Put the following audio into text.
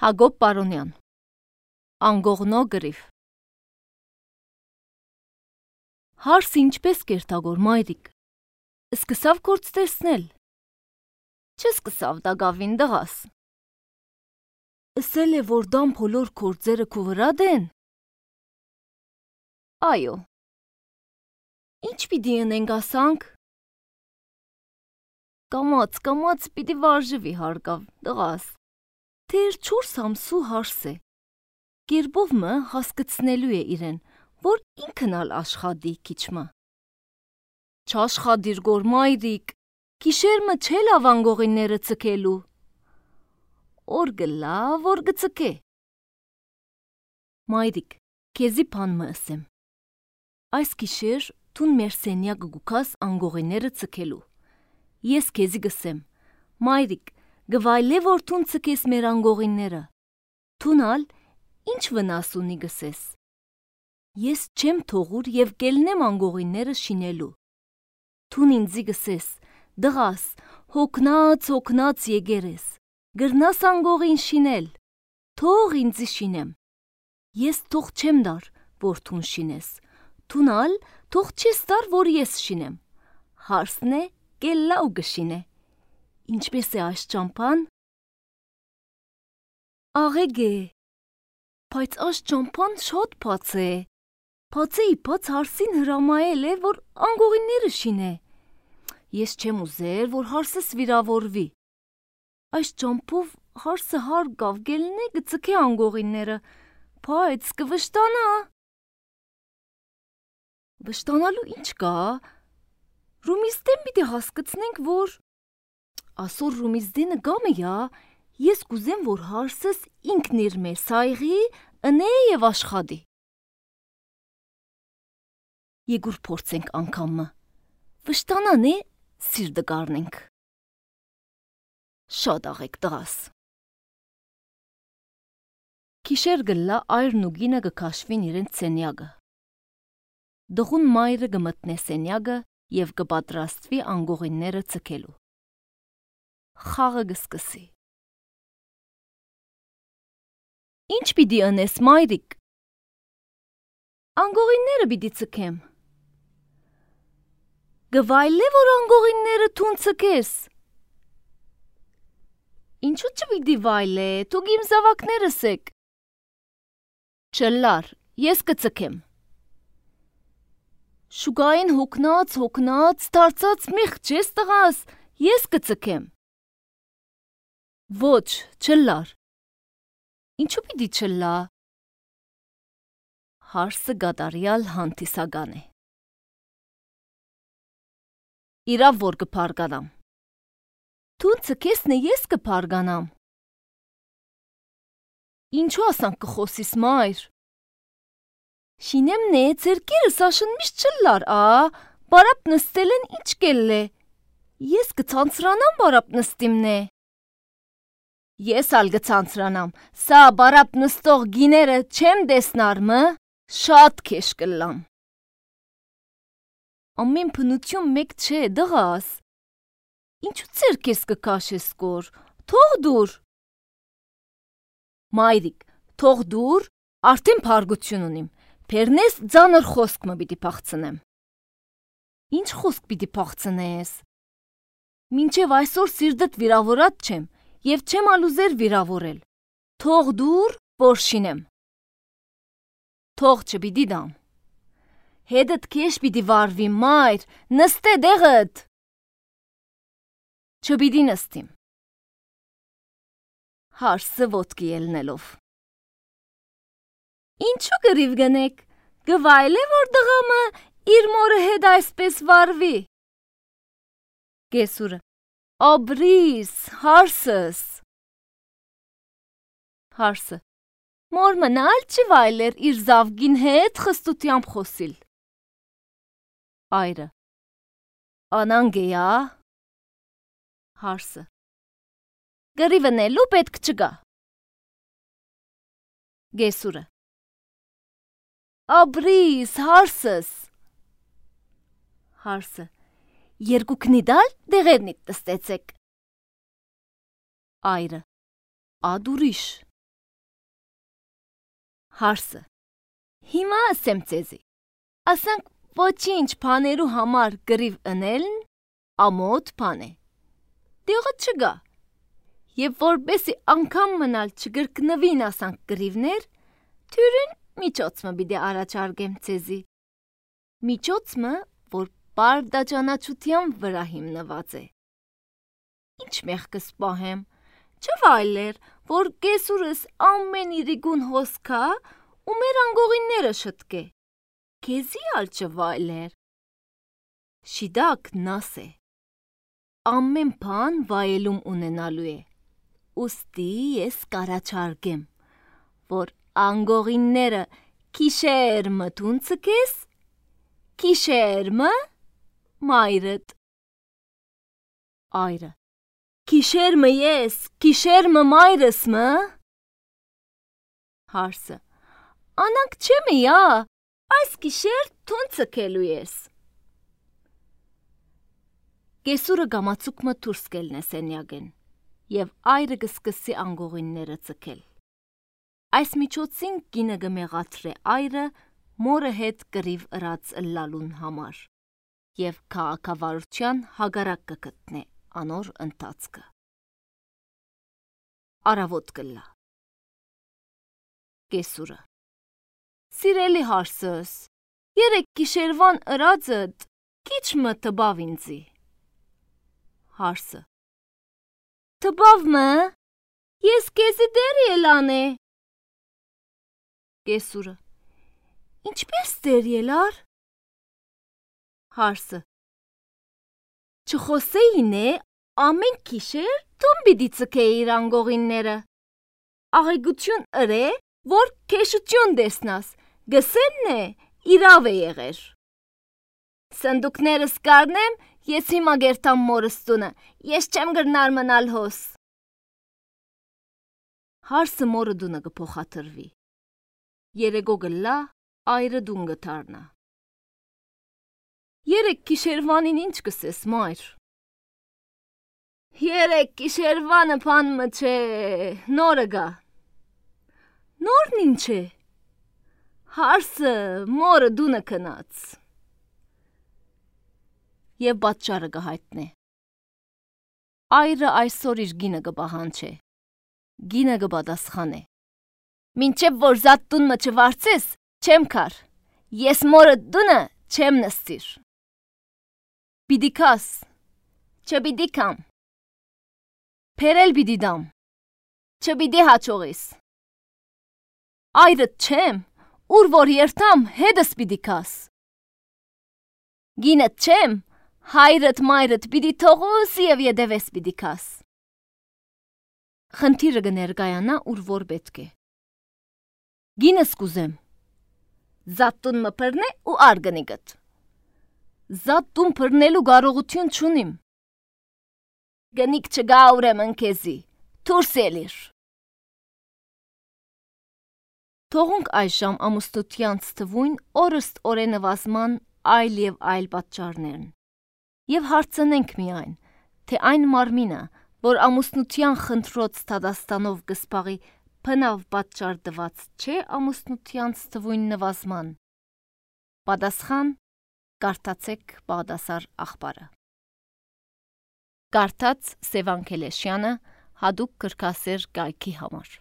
Հակոբ Պարոնյան Անգողնո գրիվ Հարս ինչպես կերտագոր մայրիկ, սկսավ կորց տեսնել, չսկսավ դագավին դղաս, ասել է, որ դամ փոլոր կորձերը քու վրա դեն, այո, ինչ պիտի ընենք ասանք, կամաց պիտի վարժվի հարկավ դղաս, Թեր 4 ամսու հարս է, գերբով մը հասկացնելու է իրեն, որ ինքն ալ աշխատի քիչմը։ Չաշխադիր գոր մայրիկ, գիշեր մը չէ լավ անգողինները ցկելու։ Օր գլա, որ գցկե։ Մայրիկ, քեզի բան մը ասեմ։ Այս գիշեր տուն մեր սենյակը գուքաս անգողինները ցկելու։ Ես քեզի գսեմ, մայրիկ, գվայլե որ տուն ցկես մեր անգողինները։ Տունալ ինչ վնաս ունի գսես։ Ես չեմ թողուր եւ կելնեմ անգողինները շինելու։ Տուն ինձի գսես, դղաս, հոգնած եկերես, գրնաս անգողին շինել, թող ինձի շինեմ։ Ես թող չեմ դար, որ տուն շինես, տունալ թող չես դար, որ ես շինեմ։ Հարսն է, կելլա ու գշինե։ Ինչպես է այս ճամփան։ Աղեգ է, բայց այս ճամփան շատ բաց է։ Բացեի բաց հարսին հրամայել է, որ անգողինները շինե։ Ես չեմ ուզեր, որ հարսս վիրավորվի։ Այս ճամփով հարսը հարգավ գելնե գցկե անգողինները, բայց կվշտանա։ Վշտանալու ինչ կա։ Ռումիստեն պիտի հասկացնենք, որ ասոր ռումիզդենը գամը յա, ես կուզեմ, որ հարսս ինքն իր մեր սայղի, ընե և աշխատի։ Եգուր փորձենք անգամը, վշտանան է, սիրտը գարնենք։ Շատ աղեք տղաս։ Քիշեր գլլա այրն ու գինը գքաշվին իրենց սենյակը։ Դղուն մայրը գմտնե սենյակը և գպատրաստվի անգողինները ցկելու։ Խաղը գսկսի։ Ինչ պիտի ընես մայրիկ։ Անգողինները պիտի ցկեմ։ Գվայլե որ անգողինները տուն ցկես։ Ինչու չպիտի վայլե, թուք իմ զավակներս եք։ Չլար, ես կցկեմ։ Շուգային հոգնած, դարձած մեղջ ես տղաս, ես կցկեմ։ Ոչ, չլար։ Ինչու պիտի չլա։ Հարսը գադարյալ հանտիսական է։ Իրավ որ կփարգանամ։ Տուն ցկեսն է ես կփարգանամ։ Ինչու ասանք կխոսիս մայր։ Շինեմն է, ծերկերս աշն միշտ չլար, բարապ նստել են ինչ կել է։ Ես կցանցրանամ բարապ նստիմն է։ Ես ալ գցանցրանամ, սա բարապ նստող գիները չեմ դեսնար մը, շատ քեշ կլամ։ Ամեն փնություն մեկ չէ, դղաս։ Ինչու ծերքես կկաշես կոր, թող դուր։ Մայրիկ, թող դուր, արդեն փարգություն ունիմ, պերնես ձանր խոսք մը պիտի փախցնեմ։ Ինչ խոսք պիտի փախցնես։ Մինչև այսօր սիրտդ վիրավորած չեմ, և չեմ ալուզեր վիրավորել, թող դուր, որ շինեմ։ Թող չպիտի դամ։ Հետդ քեշ պիտի վարվի մայր, նստե դեղդ։ Չպիտի նստիմ։ Հարսը ոտքի ելնելով։ Ինչու գրիվ գնեք, գվայլ է որ դղամը իր մորը հետ այսպես վարվի։ Գեսուրը, աբրիս, հարսս։ Հարսը, մոր մնալ չի վայլեր իր զավգին հետ խստությամբ խոսիլ։ Այրը, անանգ է ա։ Հարսը, գրիվնելու պետք չգա։ Գեսուրը, աբրիս, հարսս։ Հարսը, երկուքնի դալ դեղերնիտ տստեցեք։ Այրը, ադուրիշ։ Հարսը. Հիմա ասեմ ձեզի, ասանք ոչինչ բաներու համար գրիվ ընելն ամոթ բան է, դեղը չգա, և որբեսի անգամ մնալ չգրկնվին ասանք գրիվներ, թյուրին միջոցմը բիդե առաջարգեմ ձեզի, միջոցմը, որ բարդաճանաչության վրա հիմնված է, ինչ մեղքս պահեմ, չվայլեր, որ կեսուրս ամեն իրիգուն հոսքա ու մեր անգողինները շտկե, կեզի ալ չվայլեր, շիդակ նաս է, ամեն բան վայելում ունենալու է, ուստի ես կարաչարգեմ, որ անգողինները կիշերմը տուն ցկես, կիշերմը մայրդ, այրը, կիշերմը ես, կիշերմը մայրս մը, Հարսը, անանք չեմի ա, այս կիշեր տուն ցկելու ես, Կեսուրը գամացուկմը դուրս կելնե սենյակեն, և այրը կսկսի անգողինները ցկել, այս միջոցին կինը կմեղադրե այրը մորը հետ կռիվ ըրած ըլլալուն համար, և քաղաքավարության հագարակ կգտնե անոր ընթացքը, Առավոտ կլա, Կեսուրը, Սիրելի Հարսս, երեկ գիշերվան ըրածդ քիչ մը տբավ ինձի, Հարսը, տբավ մը, ես կեզի դեր ելան է, Կեսուրը, ինչպես դեր ելար, Հարսը, չխոսեին է ամեն կիշեր տուն բիդի ցկեիր անգողինները, աղեգություն ըրե, որ քեշություն դեսնաս, գսենն է, իրավ է եղեր, Սնդուկներս կարնեմ, ես հիմա գերտամ մորս տունը, ես չեմ գրնար մնալ հոս, Հարսը մորը դունը կփոխադրվի, երեգո գլա, այրը դուն գթարնա, Երեկ գիշերվանին ինչ կսես մայր, Երեկ գիշերվանը բան մը չէ, նորը գա, Նորն ինչ է, Հարսը մորը դունը կնաց, Եվ պատճառը կհայտնե, Այրը այսօր իր գինը կպահանջե, գինը կպատասխանե, Մինչև որ զատ տունը չվարձես, չեմ կար, ես մորը դունը չեմ նստիր, Պիդի կաս, չպիդի կամ, Փերել պիդի դամ, չպիդի հաչողիս, Այրդ չեմ, ուր որ երթամ հետս պիդի կաս, Գինդ չեմ, հայրդ մայրդ պիդի թողուս և ետևես պիդի կաս, Խնդիրը կներկայանա ուր որ պետք է, Գինս կուզեմ, Զատ տուն մը պրնե ու արգնի գտ, Զատ տուն պրնելու կարողություն չունիմ, Գնիք չգա ուրեմն քեզի, դուրս ելիր, Թողունք այժմ ամուսնությանց թվույն օրըստ օրենվազման այլ և այլ պատճառներն, և հարցնենք միայն, թե այն մարմինը, որ ամուսնության խնդրոց դատաստանով կսպաղի բնավ պատճառ տված չէ ամուսնությանց թվույն նվազման, պատասխան կարդացեք Բաղդասար աղբարը, Կարդաց Սևան Քելեշյանը հատուկ գրքասեր կայքի համար